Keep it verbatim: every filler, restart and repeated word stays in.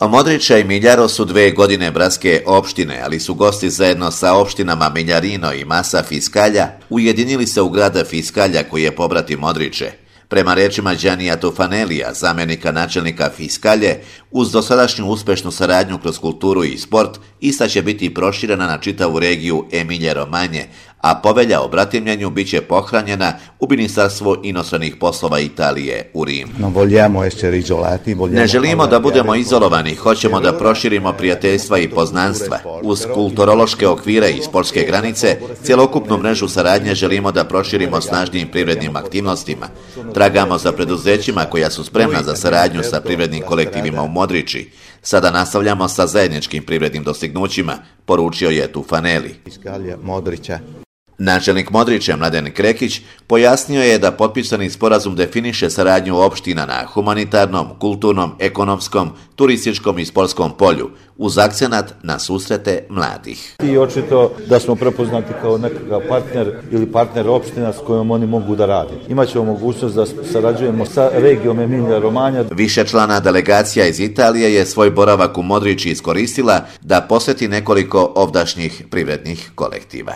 Modriče i Miljaro su dve godine bratske opštine, ali su gosti zajedno sa opštinama Miljarino i Massa Fiskalja ujedinili se u grada Fiskalja koji je pobratim Modriče. Prema rečima Đanija Tufanelija, zamenika načelnika Fiskalje, uz dosadašnju uspešnu saradnju kroz kulturu i sport, ista će biti proširena na čitavu regiju Emilje-Romanje, a povelja o bratimljenju biće pohranjena u Ministarstvo inostranih poslova Italije u Rimu. Ne želimo da budemo izolovani, hoćemo da proširimo prijateljstva i poznanstva. Uz kulturološke okvire i sportske granice, cjelokupnu mrežu saradnje želimo da proširimo snažnijim privrednim aktivnostima. Tragamo za preduzećima koja su spremna za saradnju sa privrednim kolektivima u Modriči. Sada nastavljamo sa zajedničkim privrednim dostignućima, poručio je Tufaneli. Načelnik Modriče Mladen Krekić pojasnio je da potpisani sporazum definiše saradnju opština na humanitarnom, kulturnom, ekonomskom, turističkom i sportskom polju, uz akcenat na susrete mladih. I očito da smo prepoznati kao nekakav partner ili partner opština s kojom oni mogu da rade. Imaćemo mogućnost da sarađujemo sa regijom Emilija-Romanja. Višečlana delegacija iz Italije je svoj boravak u Modriči iskoristila da posjeti nekoliko ovdašnjih privrednih kolektiva.